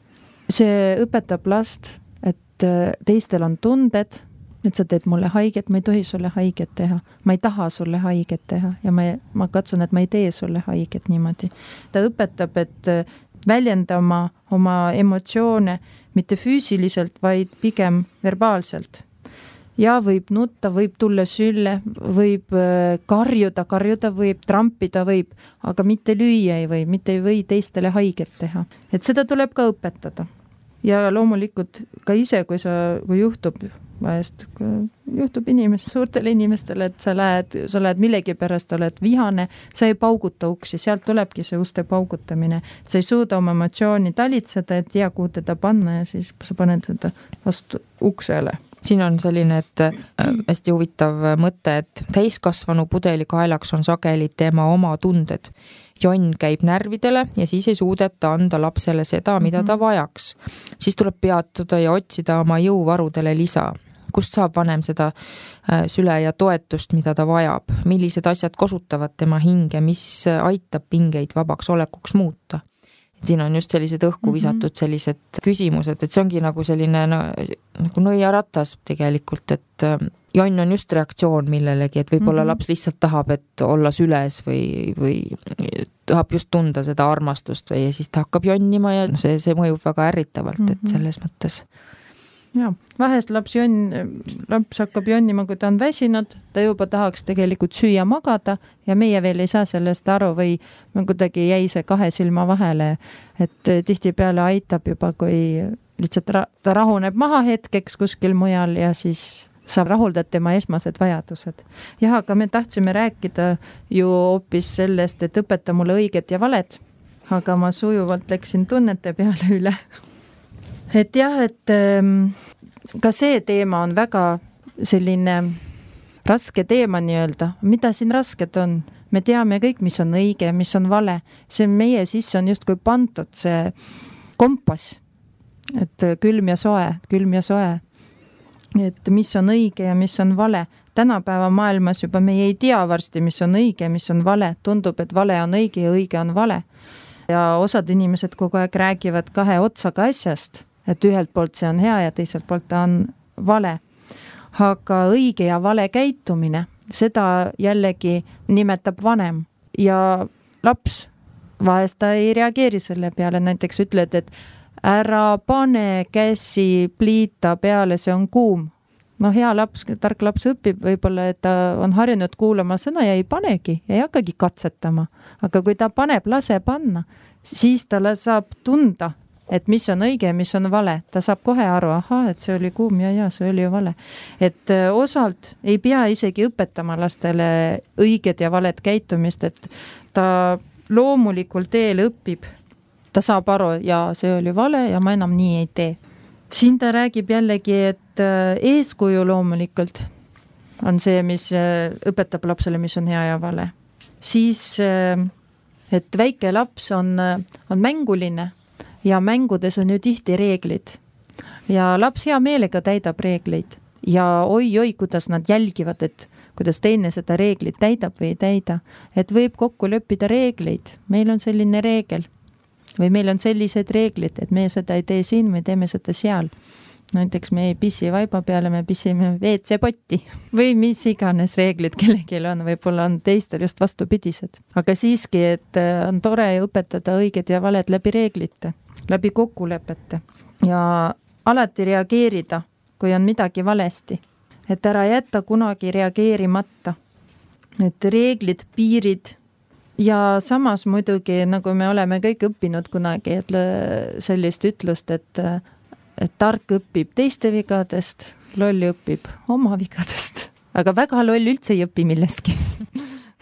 See õpetab last, et teistel on tunded, et sa teed mulle haiget, ma ei tohi sulle haiget teha, ma ei taha sulle haiget teha ja ma katsun, et ma ei tee sulle haiget niimoodi. Ta õpetab, et väljendama oma emotsioone mitte füüsiliselt, vaid pigem verbaalselt. Ja võib nutta, võib tulla sülle, võib karjuda võib, trampida võib, aga mitte lüüa ei või, mitte ei või teistele haiget teha. Et seda tuleb ka õpetada. Ja loomulikult ka ise, kui juhtub suurtele inimestele, et sa lähed millegi pärast, oled vihane, sa ei pauguta uksi, sealt tulebki see uste paugutamine. Sa ei suuda oma emotsiooni talitseda, et kuhu teda panna ja siis sa paned teda vastu uksele. Siin on selline, et hästi huvitav mõte, et täiskasvanu pudeli kaelaks on sageli tema oma tunded. Jonn käib närvidele ja siis ei suudeta anda lapsele seda, mida ta vajaks. Siis tuleb peatuda ja otsida oma jõuvarudele lisa. Kust saab vanem seda süle ja toetust, mida ta vajab? Millised asjad kosutavad tema hinge, mis aitab pingeid vabaks olekuks muuta? Siin on just sellised õhku visatud sellised küsimused, et see ongi nagu selline nagu nõiaratas tegelikult, et jonn on just reaktsioon millelegi, et võib-olla laps lihtsalt tahab, et olla süles või tahab just tunda seda armastust ja siis ta hakkab jonnima ja see mõjub väga ärritavalt, et selles mõttes. Ja, vahest laps hakkab jonnima, kui ta on väsinud, ta juba tahaks tegelikult süüa magada ja meie veel ei saa sellest aru või kuidagi jäi see 2 silma vahele, et tihtipeale aitab juba, kui lihtsalt ta rahuneb maha hetkeks kuskil mujal ja siis saab rahuldada tema esmased vajadused. Jah, aga me tahtsime rääkida ju hoopis sellest, et õpeta mulle õiget ja valet, aga ma sujuvalt läksin tunnete peale üle. Et jah, et ka see teema on väga selline raske teema nii-öelda. Mida siin rasket on? Me teame kõik, mis on õige, mis on vale. See meie sisse on just kui pandud see kompass. Et külm ja soe. Et mis on õige ja mis on vale. Tänapäeva maailmas juba meie ei tea varsti, mis on õige, mis on vale. Tundub, et vale on õige ja õige on vale. Ja osad inimesed kogu aeg räägivad 2 otsaga asjast. Et ühelt poolt see on hea ja teiselt poolt ta on vale. Aga õige ja vale käitumine, seda jällegi nimetab vanem. Ja laps vahest ta ei reageeri selle peale. Näiteks ütled, et ära pane käsi pliita peale, see on kuum. No hea laps, tark laps õpib võib-olla, et ta on harjunud kuulama sõna ja ei panegi, ei hakkagi katsetama. Aga kui ta paneb, lase panna, siis talle saab tunda, et mis on õige ja mis on vale. Ta saab kohe aru, et see oli kuum ja see oli ju vale. Et osalt ei pea isegi õpetama lastele õiget ja valet käitumist, et ta loomulikul teel õpib. Ta saab aru, ja see oli vale ja ma enam nii ei tee. Siin ta räägib jällegi, et eeskuju loomulikult on see, mis õpetab lapsele, mis on hea ja vale. Siis, et väike laps on mänguline ja mängudes on ju tihti reeglid. Ja laps hea meelega täidab reegleid. Ja oi, kuidas nad jälgivad, et kuidas teine seda reeglit täidab või ei täida. Et võib kokku lõppida reegleid. Meil on selline reegel. Või meil on sellised reeglid, et me seda ei tee siin või teeme seda seal. Näiteks me ei pissi vaiba peale, me pissime WC-potti. Või mis iganes reeglid kellegil on, võib-olla on teistel just vastupidised. Aga siiski, et on tore õpetada õiged ja valed läbi reeglite, läbi kokkulepete. Ja alati reageerida, kui on midagi valesti. Et ära jätta kunagi reageerimata. Et reeglid, piirid. Ja samas muidugi, nagu me oleme kõik õppinud kunagi, et sellist ütlust, et tark õpib teiste vigadest, loll õpib oma vigadest. Aga väga loll üldse ei õpi millestki.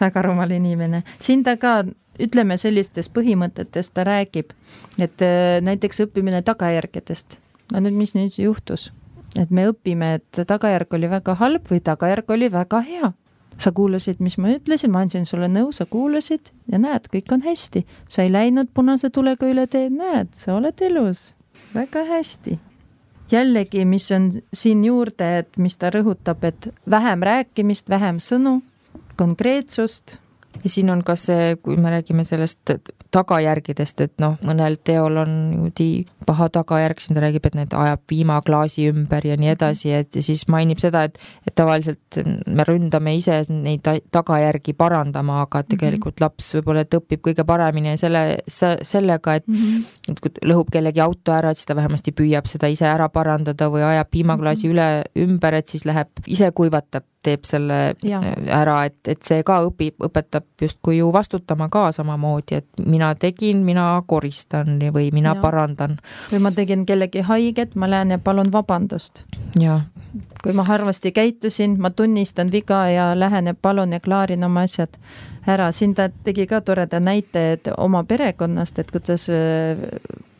Väga rumal inimene. Siin ta ka, ütleme sellistest põhimõtetest ta räägib, et näiteks õppimine tagajärgedest. No nüüd, mis nüüd juhtus? Et me õpime, et tagajärg oli väga halb või tagajärg oli väga hea. Sa kuulasid, mis ma ütlesin, ma andsin sulle nõu, sa kuulasid ja näed, kõik on hästi. Sa ei läinud punase tulega üle teed, näed, sa oled elus. Väga hästi. Jällegi, mis on siin juurde, et mis ta rõhutab, et vähem rääkimist, vähem sõnu, konkreetsust. Ja siin on ka see, kui me räägime sellest tagajärgidest, et mõnel teol on paha tagajärg, siin ta räägib, et need ajab piimaklaasi ümber ja nii edasi, et siis mainib seda, et tavaliselt me ründame ise neid tagajärgi parandama, aga tegelikult laps võib-olla õpib kõige paremini sellega, et kui lõhub kellegi auto ära, et siis ta vähemasti püüab seda ise ära parandada või ajab piimaklaasi ümber, et siis läheb ise kuivatab, teeb selle ära, et see ka õpetab justkui ju vastutama ka samamoodi, et mina tegin, mina koristan või mina parandan. Või ma tegin kellegi haiget, ma lähen ja palun vabandust. Ja. Kui ma harvasti käitusin, ma tunnistan viga ja lähen ja palun ja klaarin oma asjad ära. Siin ta tegi ka toreda näite, et oma perekonnast, et kuidas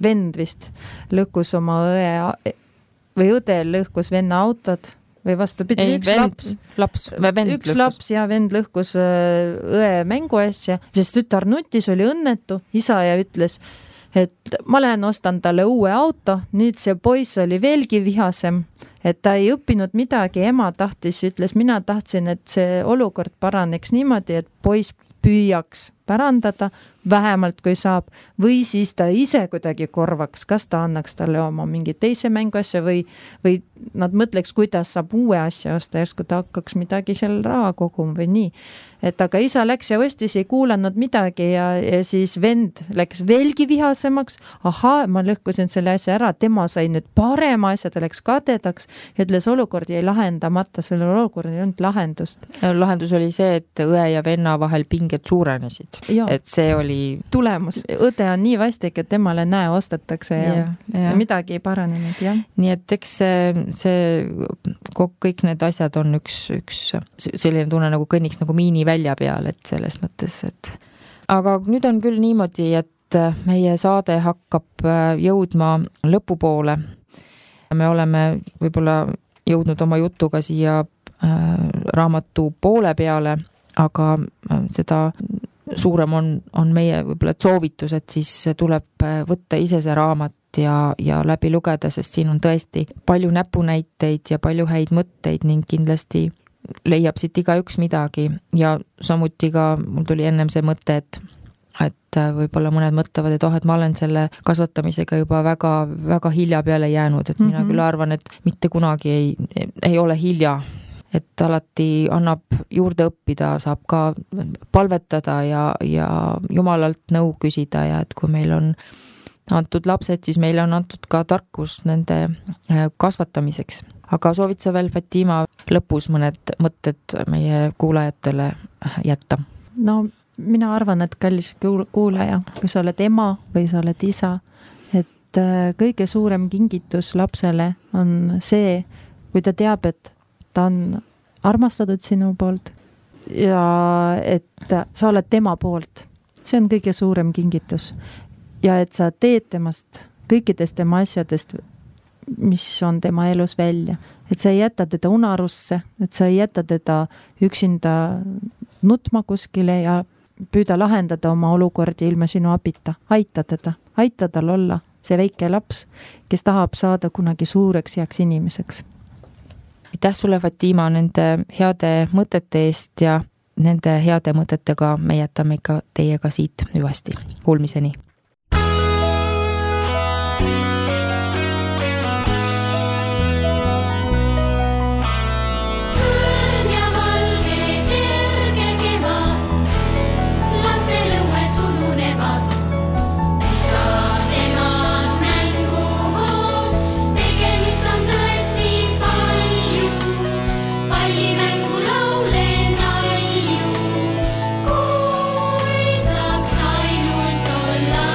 vend vist lõhkus oma õe või õde lõhkus venna autod või vastupidi, üks laps ja vend lõhkus õe mänguasja, sest tütar nutis, oli õnnetu, isa ja ütles, et ma lähen ostan talle uue auto, nüüd see poiss oli veelgi vihasem, et ta ei õppinud midagi, ema tahtis, ütles, mina tahtsin, et see olukord paraneks niimoodi, et poiss püüaks pärandada, vähemalt kui saab, või siis ta ise kuidagi korvaks, kas ta annaks talle oma mingi teise mänguasja või nad mõtleks, kuidas saab uue asja osta, järsku ta hakkaks midagi seal raha koguma või nii. Et aga isa läks ja ostis, ei kuulanud midagi ja siis vend läks veelgi vihasemaks. Ahaa, ma lõhkusin selle asja ära, tema sai nüüd parema asja, ta läks kadedaks ja ütles, olukord jäi lahendamata, selle olukord ei olnud lahendust. Lahendus oli see, et õe ja venna vahel pinged suurenesid. Et see oli tulemus. Õde on nii vastik, et temale näe ostetakse ja midagi ei paranenud. Ja. Nii et eks kõik need asjad on üks selline tunne nagu kõnniks nagu miini välja peal, et selles mõttes, et aga nüüd on küll niimoodi, et meie saade hakkab jõudma lõpupoole. Me oleme võib-olla jõudnud oma jutuga siia raamatu poole peale, aga seda suurem on meie võib-olla soovitus, et siis tuleb võtta ise see raamat ja läbi lugeda, sest siin on tõesti palju näpunäiteid ja palju häid mõtteid ning kindlasti leiab siit igaüks midagi ja samuti ka mul tuli ennem see mõte, et võib-olla mõned mõtlevad, et ma olen selle kasvatamisega juba väga, väga hilja peale jäänud, et mina küll arvan, et mitte kunagi ei ole hilja, et alati annab juurde õppida, saab ka palvetada ja Jumalalt nõu küsida ja et kui meil on antud lapsed, siis meile on antud ka tarkus nende kasvatamiseks. Aga soovid sa veel, Fatima, lõpus mõned mõtted meie kuulajatele jätta? No mina arvan, et kallis kuulaja, kui sa oled ema või sa oled isa, et kõige suurem kingitus lapsele on see, kui ta teab, et ta on armastatud sinu poolt ja et sa oled tema poolt. See on kõige suurem kingitus. Ja et sa teed temast kõikidest tema asjadest, mis on tema elus välja. Et sa ei jäta teda unarusse, et sa ei jäta teda üksinda nutma kuskile ja püüda lahendada oma olukordi ilma sinu abita. Aita teda, aita tal olla see väike laps, kes tahab saada kunagi suureks heaks inimeseks. Aitäh sulle, Fatima, nende heade mõtete eest ja nende heade mõtetega me jätame ikka teiega siit hüvasti. Kuulmiseni! Saaks ainult olla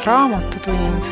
raamatutund